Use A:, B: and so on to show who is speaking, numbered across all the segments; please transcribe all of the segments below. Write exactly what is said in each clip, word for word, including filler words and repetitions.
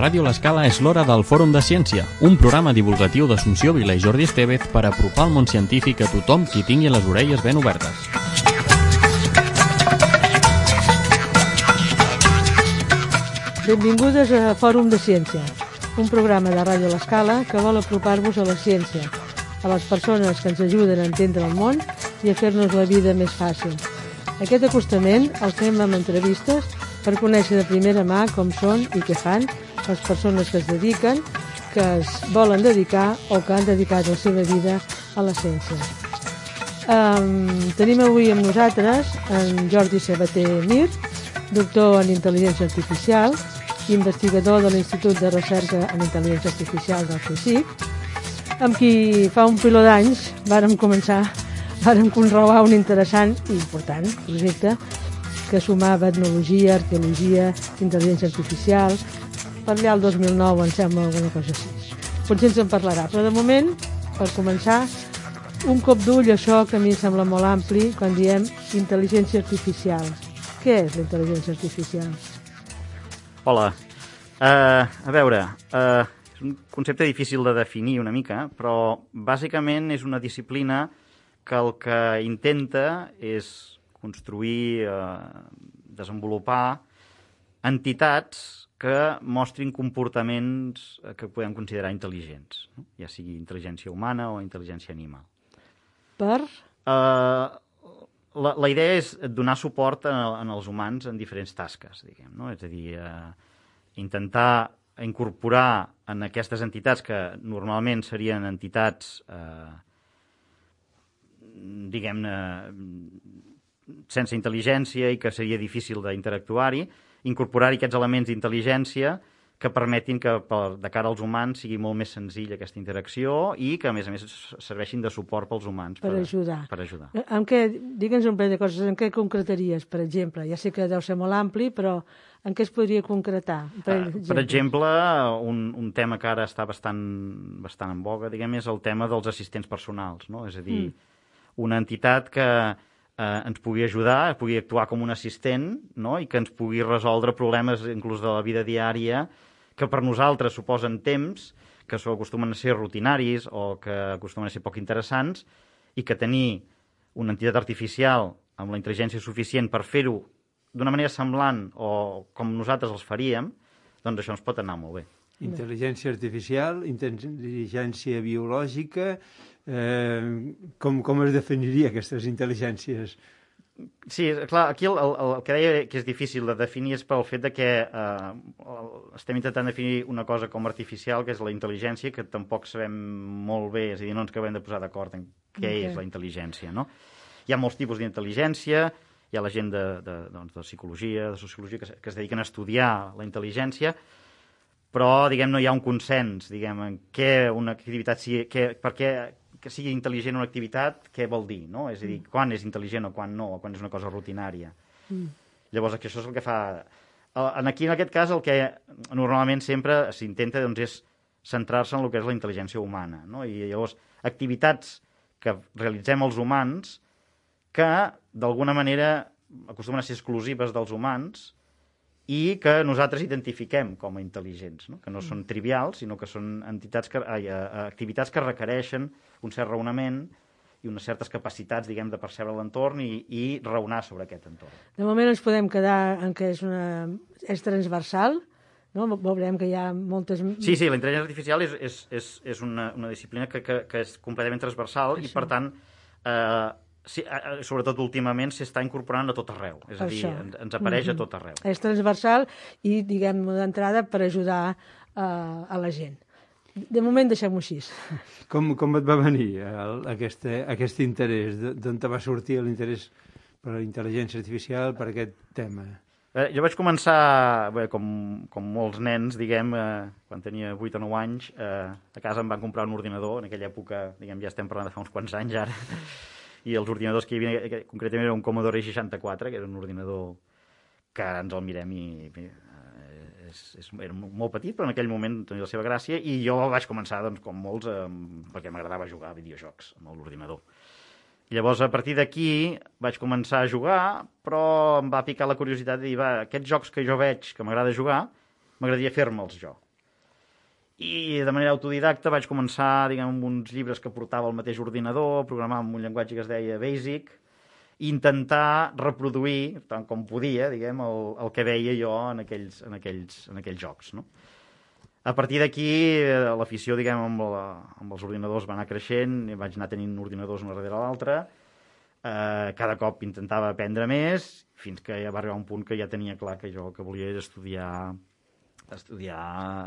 A: Ràdio L'Escala és l'hora del Fòrum de Ciència, un programa divulgatiu d'Assumpció Vila i Jordi Estevez per apropar el món científic a tothom qui tingui les orelles ben obertes.
B: Benvingudes a Fòrum de Ciència, un programa de Ràdio L'Escala que vol apropar-vos a la ciència, a les persones que ens ajuden a entendre el món i a fer-nos la vida més fàcil. Aquest acostament el fem amb entrevistes per conèixer de primera mà com són i què fan les persones que es dediquen, que es volen dedicar o que han dedicat la seva vida a la ciència. Um, tenim avui amb nosaltres en Jordi Sabater Mir, doctor en Intel·ligència Artificial, investigador de l'Institut de Recerca en Intel·ligència Artificial del CSIC, amb qui fa un piló d'anys vàrem començar, vàrem conrear un interessant i important projecte que sumava etnologia, arqueologia, intel·ligència artificial. Per allà el dos mil nou em sembla alguna cosa així. Potser ens en parlarà, però de moment, per començar, un cop d'ull a això que a mi em sembla molt ampli quan diem intel·ligència artificial. Què és la intel·ligència artificial?
C: Hola. Uh, a veure, uh, és un concepte difícil de definir una mica, però bàsicament és una disciplina que el que intenta és construir, eh, desenvolupar entitats que mostrin comportaments que podem considerar intel·ligents, no? Ja sigui intel·ligència humana o intel·ligència animal.
B: Per?
C: Uh, la, la idea és donar suport en, en els humans en diferents tasques, diguem, no? És a dir, uh, intentar incorporar en aquestes entitats que normalment serien entitats, eh, diguem-ne, sense intel·ligència i que seria difícil d'interactuar-hi, incorporar-hi aquests elements d'intel·ligència que permetin que per, de cara als humans sigui molt més senzill aquesta interacció i que, a més a més, serveixin de suport pels humans.
B: Per, per ajudar.
C: Per ajudar.
B: En què, digue'ns un parell de coses, en què concretaries, per exemple? Ja sé que deu ser molt ampli, però en què es podria concretar? Per,
C: uh, per exemple, un, un tema que ara està bastant, bastant en boga, diguem, és el tema dels assistents personals, no? És a dir, mm. una entitat que Eh, ens pugui ajudar, pugui actuar com un assistent, no? I que ens pugui resoldre problemes inclús de la vida diària que per nosaltres suposen temps, que acostumen a ser rutinaris o que acostumen a ser poc interessants i que tenir una entitat artificial amb la intel·ligència suficient per fer-ho d'una manera semblant o com nosaltres els faríem, doncs això ens pot anar molt bé.
D: Intel·ligència artificial, intel·ligència biològica... Eh, com, com es definiria aquestes intel·ligències?
C: Sí, clar, aquí el, el, el que deia que és difícil de definir és pel fet de que eh, estem intentant definir una cosa com artificial, que és la intel·ligència, que tampoc sabem molt bé, és a dir, no ens acabem de posar d'acord en què okay. és la intel·ligència, no? Hi ha molts tipus d'intel·ligència, hi ha la gent de, de, doncs, de psicologia, de sociologia, que, que es dediquen a estudiar la intel·ligència, però, diguem, no hi ha un consens, diguem, en què una activitat sigui, què, per què que sigui intel·ligent una activitat, què vol dir, no? És a dir, quan és intel·ligent o quan no, o quan és una cosa rutinària. Mm. Llavors, això és el que fa... Aquí, en aquest cas, el que normalment sempre s'intenta doncs, és centrar-se en el que és la intel·ligència humana, no? I llavors, activitats que realitzem els humans que, d'alguna manera, acostumen a ser exclusives dels humans i que nosaltres identifiquem com a intel·ligents, no? Que no són trivials, sinó que són entitats que, ai, activitats que requereixen un cert raonament i unes certes capacitats, diguem, de percebre l'entorn i, i raonar sobre aquest entorn.
B: De moment ens podem quedar en què és, una, és transversal, no? Veurem que hi ha moltes...
C: Sí, sí, la intel·ligència artificial és, és, és, és una, una disciplina que, que, que és completament transversal Això. I, per tant, eh, sí, sobretot últimament s'està incorporant a tot arreu, és a dir, ens, ens apareix mm-hmm. a tot arreu.
B: És transversal i, diguem, d'entrada per ajudar uh, a la gent. De moment deixem-ho així.
D: Com, com et va venir el, aquest, aquest interès? D'on te va sortir l'interès per la intel·ligència artificial, per aquest tema?
C: Eh, jo vaig començar, bé, com, com molts nens, diguem, eh, quan tenia vuit o nou anys, eh, a casa em van comprar un ordinador, en aquella època, diguem, ja estem parlant de fa uns quants anys ara, i els ordinadors que hi havia, que concretament era un Commodore seixanta-quatre, que era un ordinador que ens el mirem i eh, és, és, era molt petit, però en aquell moment tenia la seva gràcia, i jo vaig començar, doncs, com molts, eh, perquè m'agradava jugar a videojocs amb l'ordinador. Llavors, a partir d'aquí, vaig començar a jugar, però em va picar la curiositat de dir, va, aquests jocs que jo veig que m'agrada jugar, m'agradaria fer-me'ls jo. I de manera autodidacta vaig començar, diguem, amb uns llibres que portava el mateix ordinador, programar amb un llenguatge que es deia Basic, i intentar reproduir, tant com podia, diguem, el, el que veia jo en aquells, en aquells, en aquells jocs, no? A partir d'aquí, l'afició, diguem, amb, la, amb els ordinadors va anar creixent, i vaig anar tenint ordinadors una darrere l'altra, eh, cada cop intentava aprendre més, fins que ja va arribar un punt que ja tenia clar que jo el que volia era estudiar estudiar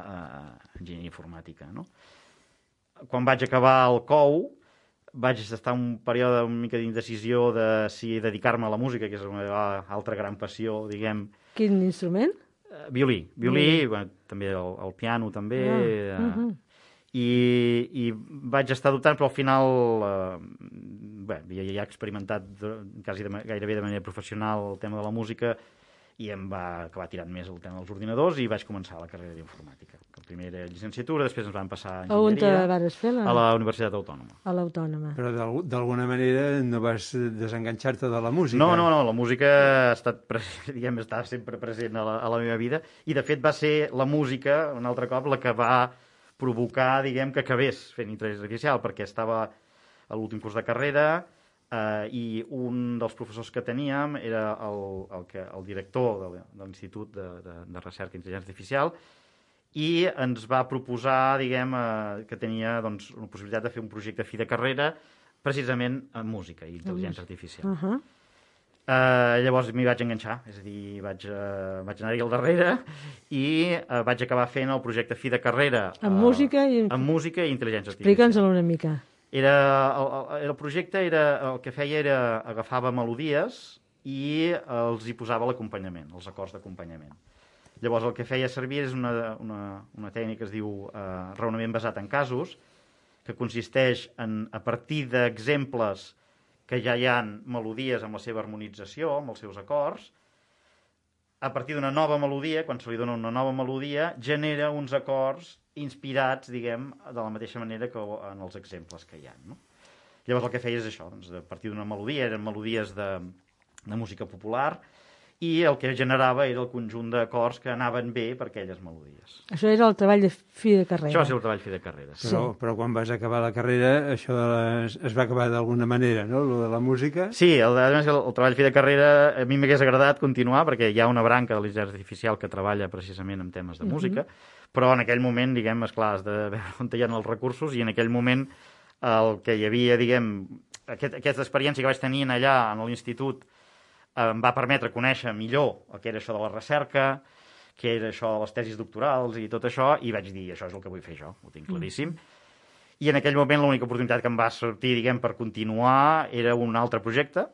C: eh, enginyeria informàtica, no? Quan vaig acabar el C O U, vaig estar un període una mica d'indecisió de si dedicar-me a la música, que és una altra gran passió, diguem.
B: Quin instrument?
C: Uh, violí. Violí, mm. bueno, també el, el piano, també. Ah. Uh, mm -hmm. I, I vaig estar dubtant, però al final eh, bé, ja, ja he experimentat quasi de, gairebé de manera professional el tema de la música, i em va acabar tirant més el tema dels ordinadors i vaig començar la carrera d'informàtica. Primer era llicenciatura, després ens van passar a enginyeria.
B: On vas fer? La...
C: A la Universitat Autònoma.
B: A l'Autònoma.
D: Però d'alguna manera no vas desenganxar-te de la música?
C: No, no, no, la música ha estat, diguem, està sempre present a la, a la meva vida, i de fet va ser la música, un altre cop, la que va provocar, diguem, que acabés fent intel·ligència artificial, perquè estava a l'últim curs de carrera, Uh, i un dels professors que teníem era el, el, que, el director de, de l'Institut de, de, de Recerca i Intel·ligència Artificial, i ens va proposar, diguem, uh, que tenia doncs, una possibilitat de fer un projecte fi de carrera precisament en música i intel·ligència artificial. Uh -huh. uh, llavors m'hi vaig enganxar, és a dir, vaig, uh, vaig anar-hi al darrere i uh, vaig acabar fent el projecte fi de carrera
B: en uh, música i
C: en música i intel·ligència artificial.
B: Explica'ns-ho una mica.
C: Era, el, el projecte era, el que feia era agafava melodies i els hi posava l'acompanyament, els acords d'acompanyament. Llavors el que feia servir és una, una, una tècnica que es diu eh, raonament basat en casos, que consisteix en, a partir d'exemples que ja hi ha melodies amb la seva harmonització, amb els seus acords, a partir d'una nova melodia, quan se li dona una nova melodia, genera uns acords inspirats, diguem, de la mateixa manera que en els exemples que hi ha, no? Llavors el que feia és això, doncs, a partir d'una melodia, eren melodies de, de música popular, i el que generava era el conjunt d'acords que anaven bé per aquelles melodies.
B: Això era el treball de fi de carrera.
C: Això va ser el treball fi de carrera.
D: Sí. Però, però quan vas acabar la carrera, això de les, es va acabar d'alguna manera, no?, lo de la música.
C: Sí, el, el, el treball fi de carrera a mi m'hagués agradat continuar, perquè hi ha una branca de l'intel·ligència artificial que treballa precisament en temes de uh-huh. música, però en aquell moment, diguem, esclar, has de veure on hi ha els recursos, i en aquell moment el que hi havia, diguem, aquest, aquesta experiència que vaig tenir allà a l'institut em va permetre conèixer millor el que era això de la recerca, què era això de les tesis doctorals i tot això, i vaig dir, això és el que vull fer jo, ho tinc claríssim. Mm. I en aquell moment l'única oportunitat que em va sortir, diguem, per continuar era un altre projecte,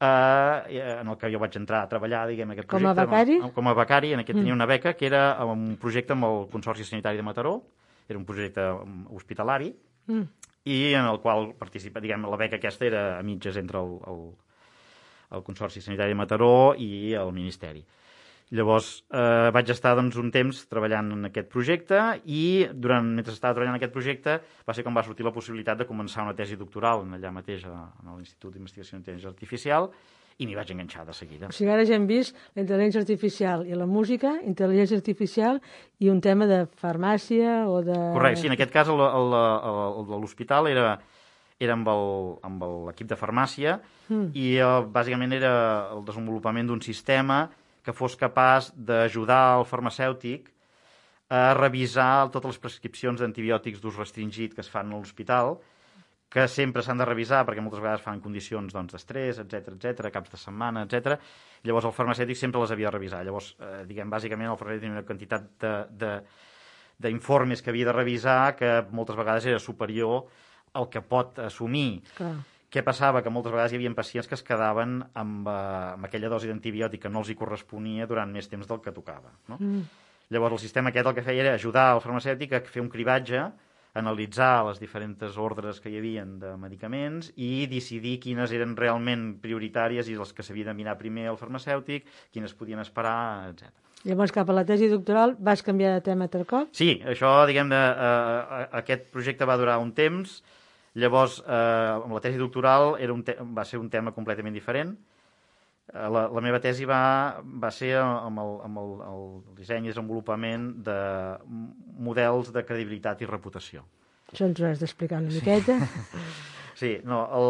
C: eh, en el que jo vaig entrar a treballar, diguem, aquest projecte.
B: Com a becari?
C: Amb, com a becari, en aquest mm. tenia una beca, que era un projecte amb el Consorci Sanitari de Mataró, era un projecte hospitalari, mm. i en el qual participa, diguem, la beca aquesta era a mitges entre el, el el Consorci Sanitari de Mataró i el Ministeri. Llavors eh, vaig estar doncs, un temps treballant en aquest projecte, i durant, mentre estava treballant en aquest projecte va ser quan va sortir la possibilitat de començar una tesi doctoral allà mateix a, a l'Institut d'Investigació d'Intel·ligència Artificial, i m'hi vaig enganxar de seguida.
B: O sigui, ara ja hem vist la intel·ligència artificial i la música, intel·ligència artificial i un tema de farmàcia o de...
C: Correcte, sí, en aquest cas l'hospital era... era amb l'equip de farmàcia, mm. i uh, bàsicament era el desenvolupament d'un sistema que fos capaç d'ajudar el farmacèutic a revisar totes les prescripcions d'antibiòtics d'ús restringit que es fan a l'hospital, que sempre s'han de revisar perquè moltes vegades fan condicions doncs, d'estrès, etcètera, etcètera, caps de setmana, etcètera. Llavors el farmacèutic sempre les havia de revisar. Llavors, eh, diguem, bàsicament el farmacèutic tenia una quantitat d'informes que havia de revisar que moltes vegades era superior el que pot assumir. Clar. Què passava? Que moltes vegades hi havia pacients que es quedaven amb, uh, amb aquella dosi d'antibiòtic que no els hi corresponia durant més temps del que tocava. No? Mm. Llavors el sistema aquest el que feia era ajudar el farmacèutic a fer un cribatge, analitzar les diferents ordres que hi havia de medicaments i decidir quines eren realment prioritàries i les que s'havia de mirar primer al farmacèutic, quines podien esperar, etcètera. Llavors,
B: cap a la tesi doctoral, vas canviar de tema altre cop?
C: Sí, això, diguem, de, uh, aquest projecte va durar un temps. Llavors, eh, amb la tesi doctoral era un te- va ser un tema completament diferent. La, la meva tesi va, va ser amb, el, amb el, el disseny i desenvolupament de models de credibilitat i reputació.
B: Això ens ho has d'explicar una miqueta.
C: Sí, no, el,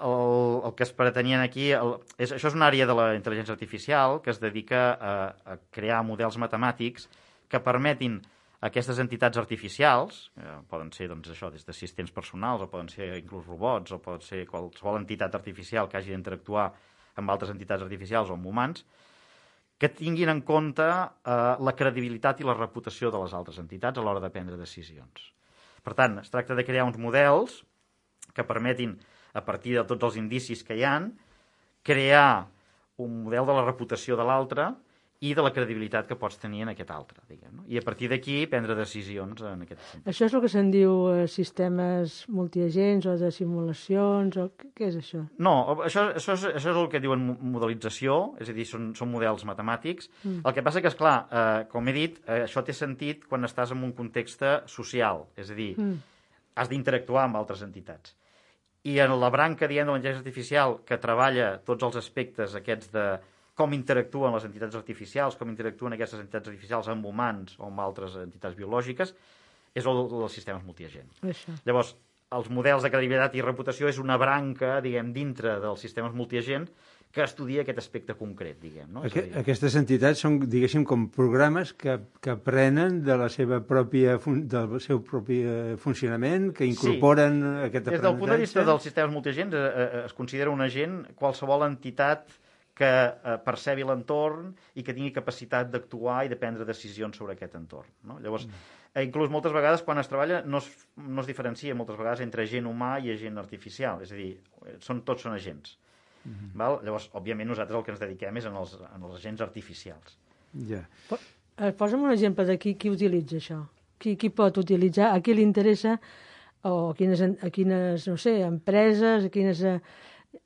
C: el, el que es pretenien aquí... El, és, això és una àrea de la intel·ligència artificial que es dedica a, a crear models matemàtics que permetin a aquestes entitats artificials, eh, poden ser doncs, això, des d'assistents personals, o poden ser inclús robots, o pot ser qualsevol entitat artificial que hagi d'interactuar amb altres entitats artificials o amb humans, que tinguin en compte eh, la credibilitat i la reputació de les altres entitats a l'hora de prendre decisions. Per tant, es tracta de crear uns models que permetin, a partir de tots els indicis que hi ha, crear un model de la reputació de l'altre i de la credibilitat que pots tenir en aquest altre, diguem, no? I a partir d'aquí prendre decisions en aquest sentit.
B: Això és el que se'n diu eh, sistemes multiagents o de simulacions, o què és això?
C: No, això, això, és, això és el que diuen modelització, és a dir, són, són models matemàtics. Mm. El que passa que, esclar, eh, com he dit, eh, això té sentit quan estàs en un context social, és a dir, mm. has d'interactuar amb altres entitats. I en la branca, diguem, de la intel·ligència artificial que treballa tots els aspectes aquests de com interactuen les entitats artificials, com interactuen aquestes entitats artificials amb humans o amb altres entitats biològiques, és el dels sistemes multiagents.
B: Això.
C: Llavors, els models de credibilitat i reputació és una branca, diguem, dintre dels sistemes multiagents que estudia aquest aspecte concret, diguem. No?
D: Aqu Aquestes entitats són, diguéssim, com programes que, que aprenen de la seva pròpia fun del seu propi funcionament, que incorporen sí. aquest aprenentatge.
C: Des del punt de vista dels sistemes multiagents eh, eh, es considera un agent qualsevol entitat que eh, percebi l'entorn i que tingui capacitat d'actuar i de prendre decisions sobre aquest entorn. No? Llavors, eh, inclús moltes vegades quan es treballa no es, no es diferencia moltes vegades entre agent humà i agent artificial, és a dir, són, tots són agents. Mm-hmm. Val? Llavors, òbviament, nosaltres el que ens dediquem és en els, en els agents artificials.
D: Ja.
B: Yeah. Posa'm un exemple de qui, qui utilitza això. Qui, qui pot utilitzar, a qui li interessa, o a quines, a quines no sé, empreses, a quines...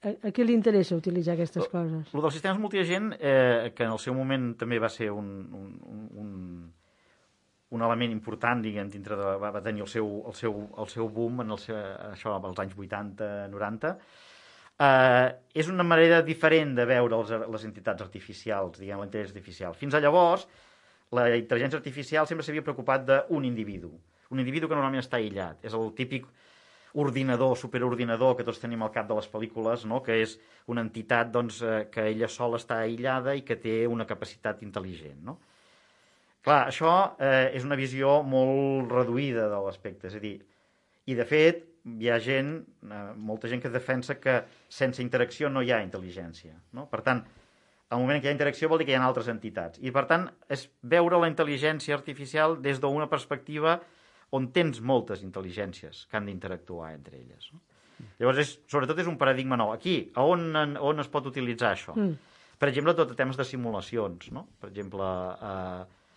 B: A, a qui li interessa utilitzar aquestes coses?
C: El dels sistemes multiagent, eh, que en el seu moment també va ser un, un, un, un element important, diguem, dintre de, va, va tenir el seu, el seu, el seu boom en el seu, això als anys vuitanta noranta, eh, és una manera diferent de veure els, les entitats artificials, diguem, la intel·ligència artificial. Fins a llavors, la intel·ligència artificial sempre s'havia preocupat d'un individu, un individu que normalment està aïllat. És el típic ordinador, superordinador que tots tenim al cap de les pel·lícules, no? Que és una entitat doncs, eh, que ella sola està aïllada i que té una capacitat intel·ligent. No? Clar, això eh, és una visió molt reduïda de l'aspecte, és a dir, i de fet hi ha gent, eh, molta gent que defensa que sense interacció no hi ha intel·ligència. No? Per tant, al moment que hi ha interacció vol dir que hi ha altres entitats. I per tant, és veure la intel·ligència artificial des d'una perspectiva on tens moltes intel·ligències que han d'interactuar entre elles. No? Llavors, és, sobretot és un paradigma nou. Aquí, a on, on es pot utilitzar això? Mm. Per exemple, tot a temes de simulacions. No? Per exemple, eh,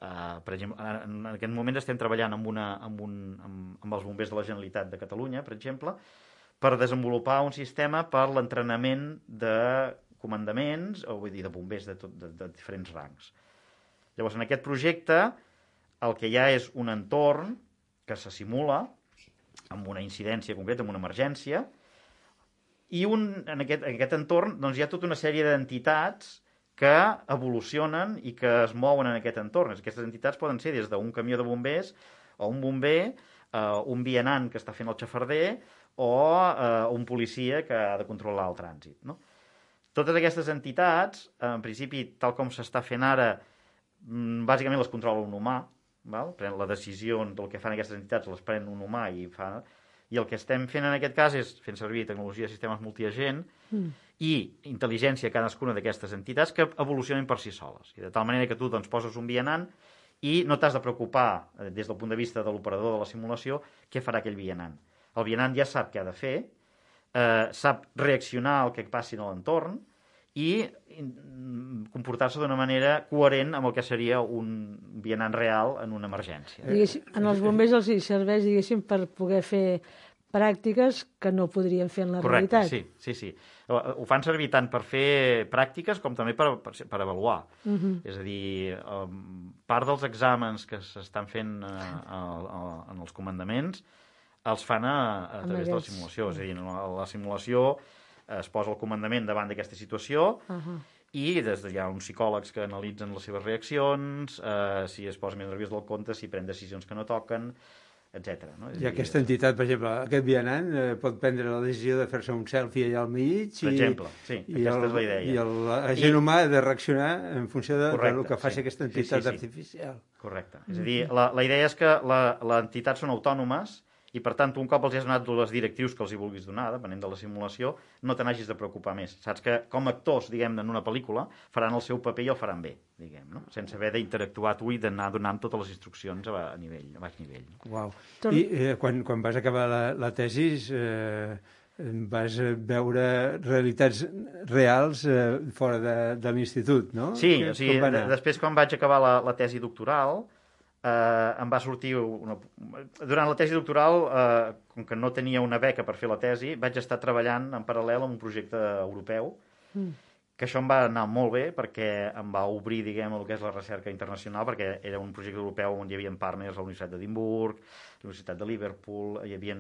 C: eh, per exemple, en aquest moment estem treballant amb, una, amb, un, amb, amb els bombers de la Generalitat de Catalunya, per exemple, per desenvolupar un sistema per l'entrenament de comandaments, o vull dir, de bombers de, tot, de, de diferents rangs. Llavors, en aquest projecte, el que hi ha és un entorn que se simula amb una incidència concreta, amb una emergència, i un, en, aquest, en aquest entorn doncs, hi ha tota una sèrie d'entitats que evolucionen i que es mouen en aquest entorn. Aquestes entitats poden ser des d'un camió de bombers o un bomber, eh, un vianant que està fent el xafarder o eh, un policia que ha de controlar el trànsit. No? Totes aquestes entitats, en principi, tal com s'està fent ara, bàsicament les controla un humà, val? Pren la decisió del que fan aquestes entitats, les pren un humà i fa... I el que estem fent en aquest cas és fent servir tecnologia de sistemes multiagent mm. i intel·ligència a cadascuna d'aquestes entitats que evolucionen per si soles. I de tal manera que tu doncs, poses un vianant i no t'has de preocupar, des del punt de vista de l'operador de la simulació, què farà aquell vianant. El vianant ja sap què ha de fer, eh, sap reaccionar al que passi a l'entorn i comportar-se d'una manera coherent amb el que seria un vianant real en una emergència.
B: Diguéssim, en els bombers els serveix, diguéssim, per poder fer pràctiques que no podrien fer en la
C: Correcte,
B: realitat.
C: Sí, sí, sí. Ho fan servir tant per fer pràctiques com també per, per, per avaluar. Uh-huh. És a dir, part dels exàmens que s'estan fent a, a, a, en els comandaments els fan a, a través de la simulació. És a dir, la, la simulació es posa el comandament davant d'aquesta situació
B: Uh -huh.
C: i des de, hi ha uns psicòlegs que analitzen les seves reaccions, eh, si es posa més nerviós del compte, si pren decisions que no toquen, etcètera. No?
D: I aquesta entitat, per exemple, aquest vianant eh, pot prendre la decisió de fer-se un selfie allà al mig
C: Per
D: i,
C: exemple, sí,
D: i
C: aquesta
D: el,
C: és la idea.
D: I el, l'agent
C: I-
D: humà ha de reaccionar en funció de,
C: Correcte,
D: del que faci
C: sí.
D: aquesta
C: Sí, sí,
D: entitat
C: sí.
D: artificial.
C: Correcte. És a dir, la, la idea és que la, les entitats són autònomes i, per tant, tu un cop els has donat les directrius que els hi vulguis donar, depenent de la simulació, no te n'hagis de preocupar més. Saps que, com a actors, diguem, en una pel·lícula, faran el seu paper i el faran bé, diguem, no? Sense haver d'interactuar tu i d'anar donant totes les instruccions a, a nivell, a baix nivell.
D: Uau.
B: Tot-
D: I eh, quan, quan vas acabar la, la tesi eh, vas veure realitats reals eh, fora de, de l'institut, no?
C: Sí,
D: Que-
C: o sigui,
D: com va
C: de,
D: anar?
C: després quan vaig acabar la, la tesi doctoral, eh, em va sortir una... Durant la tesi doctoral, eh, com que no tenia una beca per fer la tesi, vaig estar treballant en paral·lel en un projecte europeu,
B: Mm.
C: que això em va anar molt bé perquè em va obrir, diguem, el que és la recerca internacional, perquè era un projecte europeu on hi havia partners a la Universitat d'Edimburg, la Universitat de Liverpool, hi havia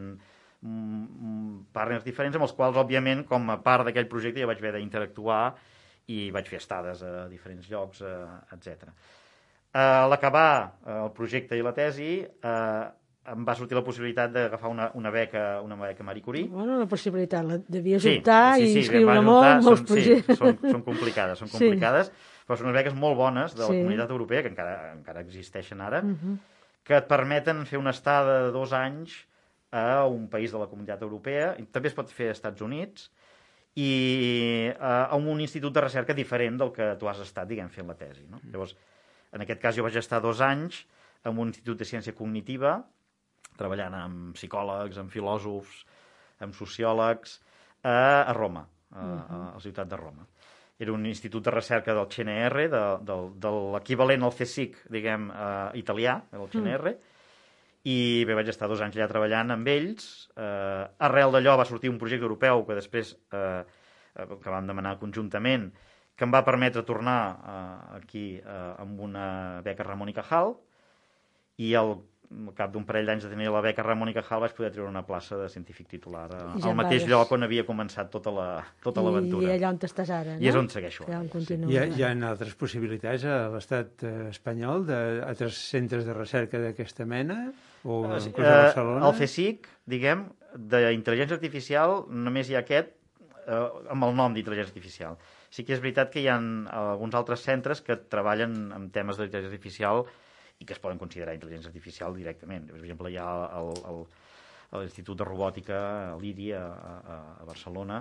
C: partners diferents amb els quals, òbviament, com a part d'aquell projecte ja vaig haver d'interactuar i vaig fer estades a diferents llocs, eh, etcètera. A l'acabar el projecte i la tesi, eh, em va sortir la possibilitat d'agafar una, una beca una beca Marie Curie.
B: Bueno, la possibilitat, la devies
C: Sí,
B: optar
C: sí,
B: i
C: sí,
B: inscriure
C: vam
B: molt,
C: optar,
B: molts
C: són,
B: projectes.
C: Sí, són, són complicades, són
B: Sí.
C: complicades, però són unes beques molt bones de la
B: Sí.
C: Comunitat Europea, que encara, encara existeixen ara,
B: Uh -huh.
C: que et permeten fer una estada de dos anys a un país de la Comunitat Europea, i també es pot fer als Estats Units, i eh, a un institut de recerca diferent del que tu has estat, diguem, fent la tesi. No? Llavors, en aquest cas jo vaig estar dos anys en un institut de ciència cognitiva, treballant amb psicòlegs, amb filòsofs, amb sociòlegs, a, a Roma, a, a la ciutat de Roma. Era un institut de recerca del C N R, de, de, de l'equivalent al CSIC, diguem, eh, italià, el C N R, mm. i bé, vaig estar dos anys allà treballant amb ells. Eh, arrel d'allò va sortir un projecte europeu que després, eh, que vam demanar conjuntament, que em va permetre tornar eh, aquí eh, amb una beca Ramon i Cajal, i al cap d'un parell d'anys de tenir la beca Ramon i Cajal vaig poder treure una plaça de científic titular a,
B: ja
C: al mateix
B: vares.
C: lloc on havia començat tota la, tota l'aventura.
B: I allà on estàs ara, no?
C: I és on segueixo
B: Allà on
C: ara, sí.
B: continues.
D: Hi ha, hi ha altres possibilitats a l'estat eh, espanyol, d'altres centres de recerca d'aquesta mena? O
C: Eh,
D: inclús a Barcelona?
C: El CSIC, diguem, d'intel·ligència artificial, només hi ha aquest eh, amb el nom d'intel·ligència artificial. Sí que és veritat que hi ha alguns altres centres que treballen amb temes d'intel·ligència artificial i que es poden considerar intel·ligència artificial directament. Per exemple, hi ha l'Institut de Robòtica, l'I R I, a, a, a Barcelona,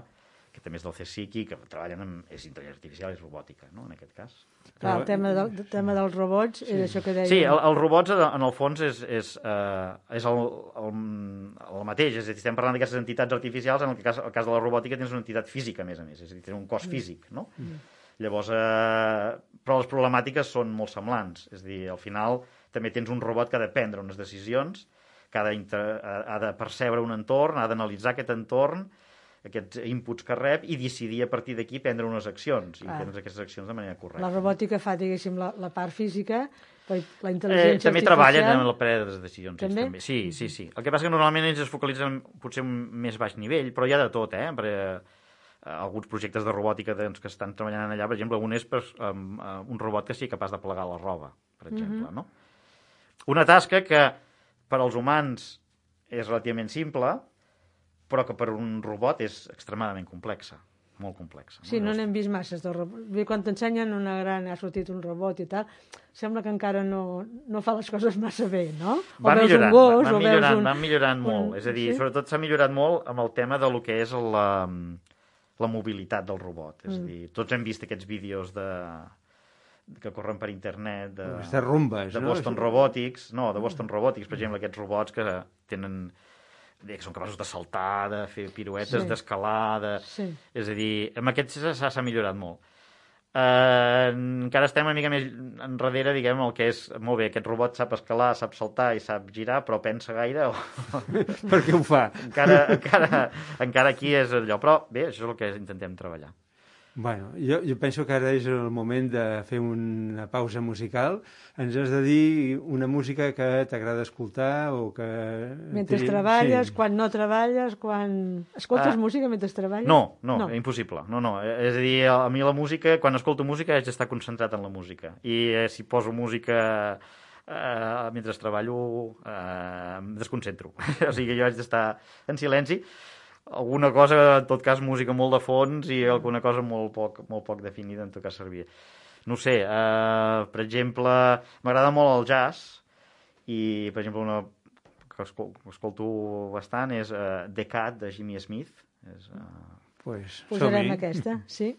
C: que també és del CSIC i que treballen amb... és intel·ligència artificial, és robòtica, no?, en aquest cas.
B: Clar, el tema, del, el tema dels robots sí. és això que deia...
C: Sí, el, els robots, en el fons, és, és, eh, és el, el, el mateix. És a dir, estem parlant d'aquestes entitats artificials, en el cas, el cas de la robòtica tens una entitat física, a més a més, és a dir, tens un cos físic, no? Mm. Llavors, eh, però les problemàtiques són molt semblants. És a dir, al final també tens un robot que ha de prendre unes decisions, que ha de, inter, ha de percebre un entorn, ha d'analitzar aquest entorn, aquests inputs que rep, i decidir a partir d'aquí prendre unes accions, i ah. prendre aquestes accions de manera correcta.
B: La robòtica fa, diguéssim, la, la part física, la, la intel·ligència
C: eh, també
B: artificial...
C: També treballen en la presa de decisions.
B: També?
C: Ells, també? Sí, sí, sí. El que passa que normalment ells es focalitzen potser un més baix nivell, però hi ha de tot, eh? Perquè alguns projectes de robòtica doncs, que estan treballant allà, per exemple, un és per, um, uh, un robot que sigui capaç de plegar la roba, per exemple, mm-hmm. no? Una tasca que per als humans és relativament simple, però que per un robot és extremadament complexa, molt complexa.
B: Sí, no
C: Llavors...
B: n'hem vist masses de robots. Quan t'ensenyen una gran, ha sortit un robot i tal, sembla que encara no, no fa les coses massa bé, no? O
C: va
B: veus
C: millorant,
B: un gos,
C: va, va
B: o
C: millorant,
B: veus un...
C: va millorant molt.
B: un...
C: És a dir,
B: sí?
C: sobretot s'ha millorat molt amb el tema de lo que és la, la mobilitat del robot. És mm. a dir, tots hem vist aquests vídeos de que corren per internet de,
D: Aquestes rumbes,
C: de
D: no?
C: Boston Robotics, no, de Boston Robotics, per exemple, aquests robots que tenen que són capaços de saltar, de fer piruetes, sí. d'escalar, de...
B: Sí.
C: És a dir, amb aquests s'ha millorat molt. Uh, encara estem una mica més enrere, diguem, el que és, molt bé, aquest robot sap escalar, sap saltar i sap girar, però pensa gaire o...
D: Per què ho fa?
C: encara, encara, encara aquí és allò, però bé, això és el que intentem treballar.
D: Bueno, jo, jo penso que ara és el moment de fer una pausa musical. Ens has de dir una música que t'agrada escoltar o que...
B: Mentre treballes, sí. Quan no treballes, quan... Escoltes uh, música mentre treballes?
C: No, no, no, impossible. No, no. És a dir, a mi la música, quan escolto música, haig d'estar concentrat en la música. I eh, si poso música eh, mentre treballo, eh, em desconcentro. O sigui, jo haig d'estar en silenci. Alguna cosa, en tot cas, música molt de fons i alguna cosa molt poc, molt poc definida, en tot cas servia. No sé, eh, per exemple, m'agrada molt el jazz i, per exemple, una que escolto bastant és uh, The Cat, de Jimmy Smith. És, uh...
D: pues,
B: Posarem aquesta, sí.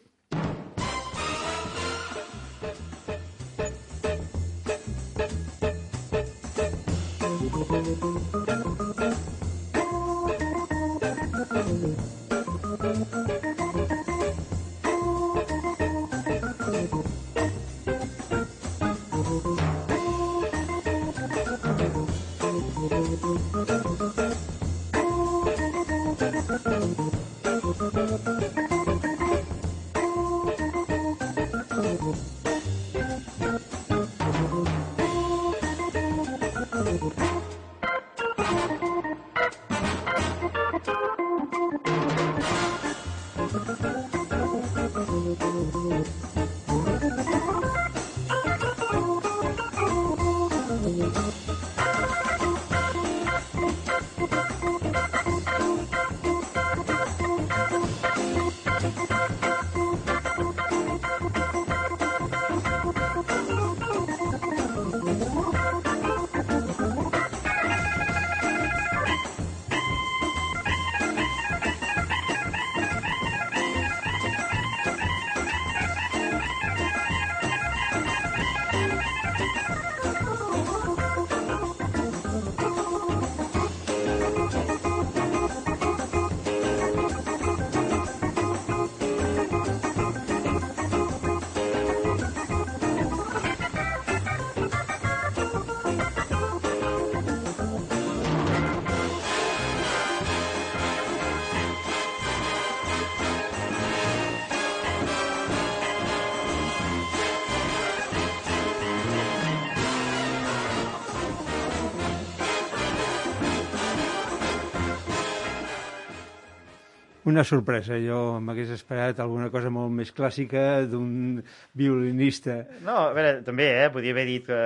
D: Una sorpresa. Jo m'hagués esperat alguna cosa molt més clàssica d'un violinista.
C: No, a veure, també, eh, podia haver dit que...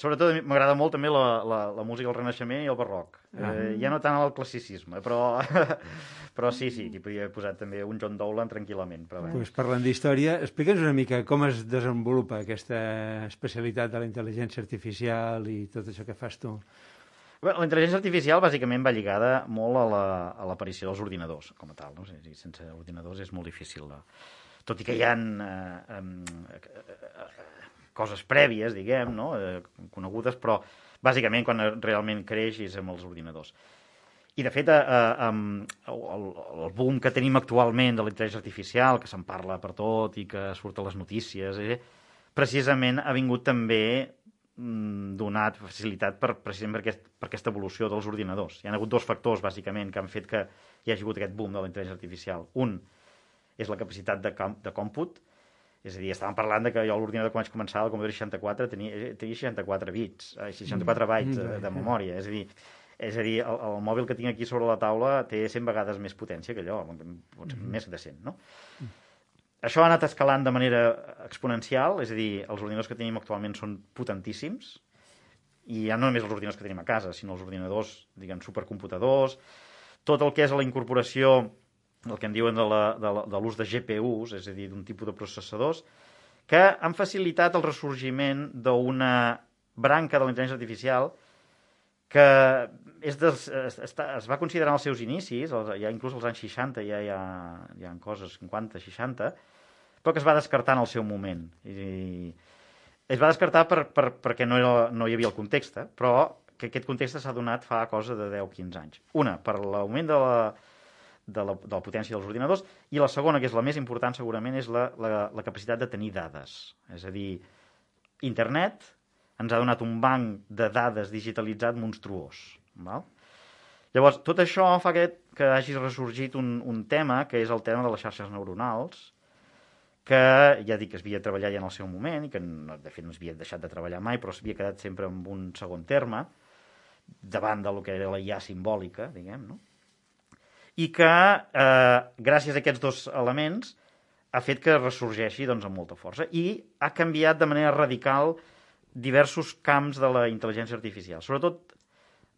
C: Sobretot m'agrada molt també la, la, la música del Renaixement i el barroc. Ah. Eh, ja no tant el classicisme, però, però sí, sí, hi podria haver posat també un John Dowland tranquil·lament. Però
D: pues parlant d'història, explica'ns una mica com es desenvolupa aquesta especialitat de la intel·ligència artificial i tot això que fas tu.
C: Bé, la intel·ligència artificial bàsicament va lligada molt a la, a l'aparició dels ordinadors, com a tal. No? O sigui, sense ordinadors és molt difícil. De... Tot i que hi ha eh, eh, coses prèvies, diguem, no? eh, conegudes, però bàsicament quan realment creix és amb els ordinadors. I de fet, eh, eh, el, el boom que tenim actualment de la intel·ligència artificial, que se'n parla per tot i que surt a les notícies, eh, precisament ha vingut també donat facilitat per, precisament per, aquest, per aquesta evolució dels ordinadors. Hi ha hagut dos factors, bàsicament, que han fet que hi hagi hagut aquest boom de la intel·ligència artificial. Un és la capacitat de, de còmput, és a dir, estàvem parlant de que jo l'ordinador quan vaig començar, el Commodore seixanta-quatre, tenia, tenia seixanta-quatre bits, seixanta-quatre bytes de, de memòria, és a dir, és a dir el, el mòbil que tinc aquí sobre la taula té cent vegades més potència que allò, potser més de cent, no? Això ha anat escalant de manera exponencial, és a dir, els ordinadors que tenim actualment són potentíssims, i ja no només els ordinadors que tenim a casa, sinó els ordinadors, diguem, supercomputadors, tot el que és la incorporació, el que en diuen de, la, de, la, de l'ús de G P Us, és a dir, d'un tipus de processadors, que han facilitat el ressorgiment d'una branca de la intel·ligència artificial que és dels, es, es va considerar en els seus inicis, ja inclús als anys seixanta ja hi ha, hi ha coses, cinquanta, seixanta, però que es va descartar en el seu moment. I es va descartar per, per, perquè no, era, no hi havia el context, però que aquest context s'ha donat fa cosa de deu a quinze anys. Una, per l'augment de la, de, la, de la potència dels ordinadors, i la segona, que és la més important segurament, és la, la, la capacitat de tenir dades. És a dir, internet ens ha donat un banc de dades digitalitzat monstruós. Val? Llavors, tot això fa que, que hagi ressorgit un, un tema, que és el tema de les xarxes neuronals, que ja dic que es havia treballat ja en el seu moment i que de fet no es havia deixat de treballar mai, però s'havia quedat sempre en un segon terme davant del que era la I A simbòlica, diguem, no? I que eh, gràcies a aquests dos elements ha fet que ressorgeixi doncs, amb molta força i ha canviat de manera radical diversos camps de la intel·ligència artificial, sobretot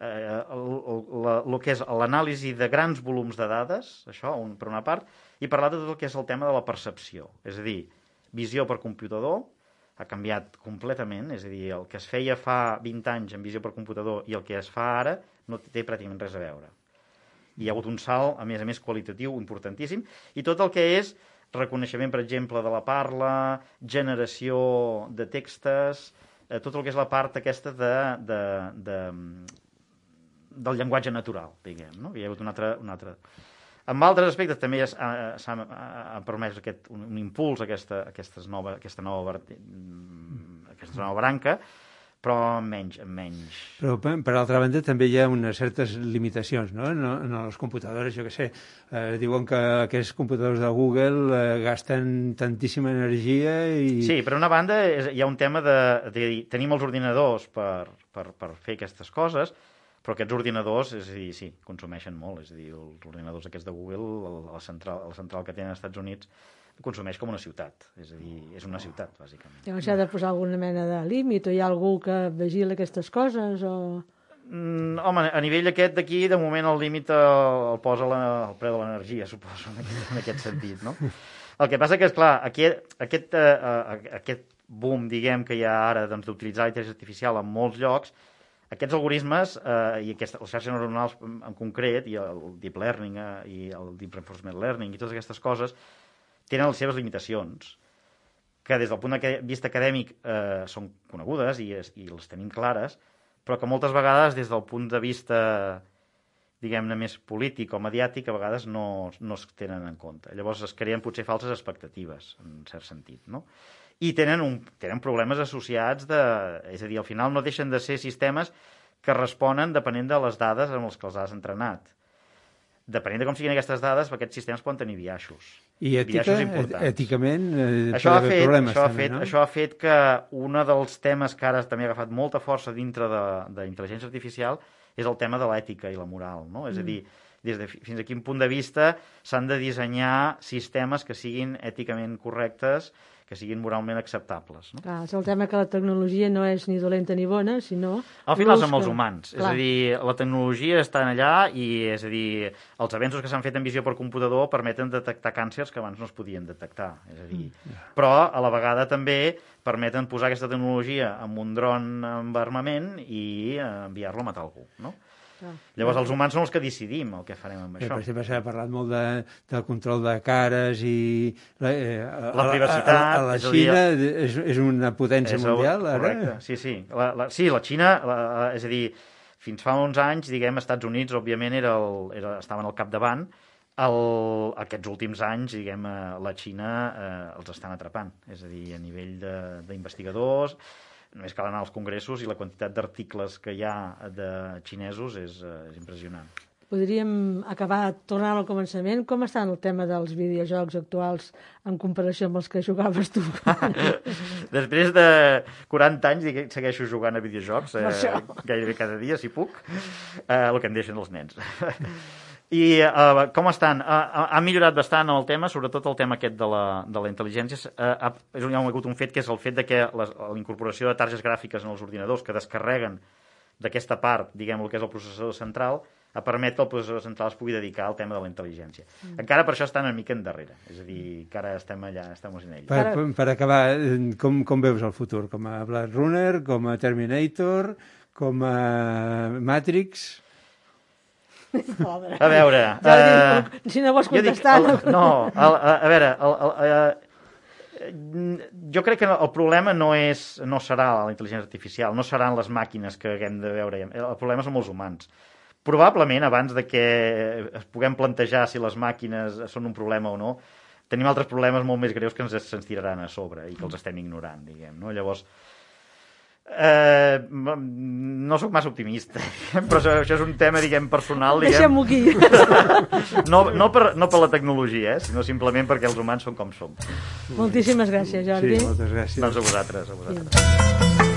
C: eh, el, el, el que és l'anàlisi de grans volums de dades, això un, per una part, i parlar de tot el que és el tema de la percepció, és a dir, visió per computador ha canviat completament, és a dir, el que es feia fa vint anys en visió per computador i el que es fa ara no té pràcticament res a veure. Hi ha hagut un salt, a més a més, qualitatiu importantíssim, i tot el que és reconeixement, per exemple, de la parla, generació de textos, eh, tot el que és la part aquesta de, de, de, del llenguatge natural, diguem, no? Hi ha hagut un altre... Un altre... En altres aspectes també s'ha ha permès aquest, un, un impuls a aquesta, aquesta, nova, aquesta, nova, aquesta nova branca, però menys, menys.
D: Però, per altra banda, també hi ha unes certes limitacions, no? En, en els computadors, jo què sé, eh, diuen que aquests computadors de Google eh, gasten tantíssima energia i...
C: Sí, per una banda és, hi ha un tema de, de dir, tenim els ordinadors per, per, per fer aquestes coses, però aquests ordinadors, és a dir, sí, consumeixen molt, és a dir, els ordinadors aquests de Google, la central, la central que tenen als Estats Units, consumeix com una ciutat, és a dir, és una ciutat, bàsicament.
B: Llavors s'ha de posar alguna mena de límit, o hi ha algú que vigila aquestes coses, o...
C: Mm, home, a nivell aquest d'aquí, de moment el límit el, el posa la, el preu de l'energia, suposo, en aquest, en aquest sentit, no? El que passa que, esclar, aquest, aquest, uh, aquest boom, diguem, que hi ha ara doncs, d'utilitzar la intel·ligència artificial en molts llocs, aquests algoritmes eh, i aquestes, les xarxes neuronals en concret, i el deep learning eh, i el deep reinforcement learning i totes aquestes coses, tenen les seves limitacions, que des del punt de vista acadèmic eh, són conegudes i, es, i les tenim clares, però que moltes vegades des del punt de vista, diguem-ne, més polític o mediàtic, a vegades no, no es tenen en compte. Llavors es creen potser falses expectatives, en cert sentit, no? I tenen, un, tenen problemes associats de... És a dir, al final no deixen de ser sistemes que responen depenent de les dades amb les que els has entrenat. Depenent de com siguin aquestes dades, aquests sistemes poden tenir biaixos.
D: I ètica, èticament, eh,
C: això ha fet,
D: problemes
C: això,
D: també,
C: ha fet,
D: no?
C: Això ha fet que un dels temes que ara també ha agafat molta força dintre de, de intel·ligència artificial és el tema de l'ètica i la moral, no? És a dir, des de, fins a quin punt de vista s'han de dissenyar sistemes que siguin èticament correctes, que siguin moralment acceptables. No?
B: Clar, és el tema que la tecnologia no és ni dolenta ni bona, sinó...
C: Al final som els
B: que...
C: humans.
B: Clar.
C: És a dir, la tecnologia està allà i, és a dir, els avenços que s'han fet en visió per computador permeten detectar càncers que abans no es podien detectar. És a dir, mm. Però, a la vegada, també permeten posar aquesta tecnologia en un dron amb armament i enviar-lo a matar algú, no? Ah, Llavors els humans són els que decidim el que farem amb
D: eh,
C: això.
D: Per exemple, s'ha parlat molt de, del control de cares i... La, eh,
C: la privacitat...
D: A, a, a la Xina dir, és, és una potència
C: és
D: mundial,
C: el,
D: ara?
C: Correcte, sí, sí. La, la, sí, la Xina, la, la, és a dir, fins fa uns anys, diguem, Estats Units, òbviament, era el, era, estaven al capdavant. El, aquests últims anys, diguem, la Xina eh, els estan atrapant. És a dir, a nivell d'investigadors... Només cal anar als congressos i la quantitat d'articles que hi ha de xinesos és, és impressionant.
B: Podríem acabar tornant al començament. Com està el tema dels videojocs actuals en comparació amb els que jugaves tu?
C: Després de quaranta anys segueixo jugant a videojocs, eh, gairebé cada dia, si puc, eh, el que em deixen els nens. I uh, com estan? Uh, ha millorat bastant el tema, sobretot el tema aquest de la, de la intel·ligència. Uh, és un, hi ha hagut un fet que és el fet de que les, la incorporació de targes gràfiques en els ordinadors que descarreguen d'aquesta part, diguem, el que és el processador central, a permet que el processador central es pugui dedicar al tema de la intel·ligència. Mm. Encara per això estan una mica endarrere, és a dir, encara estem allà, estem en ell.
D: Per, per, per acabar, com, com veus el futur? Com a Blade Runner, com a Terminator, com a Matrix...
B: Pobre.
C: A veure...
B: Ja uh, dic, si no vols contestar...
C: Dic, el, no, el, a, a veure... El, el, el, jo crec que el problema no és no serà la intel·ligència artificial, no seran les màquines que haguem de veure. El problema són els humans. Probablement, abans de que es puguem plantejar si les màquines són un problema o no, tenim altres problemes molt més greus que ens se'ns tiraran a sobre i que els estem ignorant, diguem, no? Llavors... Eh, no sóc massa optimista, però això, això és un tema, diguem, personal.
B: Deixem-ho aquí.
C: No, no, per, no per la tecnologia, eh, sinó simplement perquè els humans són com som.
B: Moltíssimes gràcies, Jordi.
D: Sí, moltes gràcies.
C: Doncs a vosaltres, a vosaltres. Sí.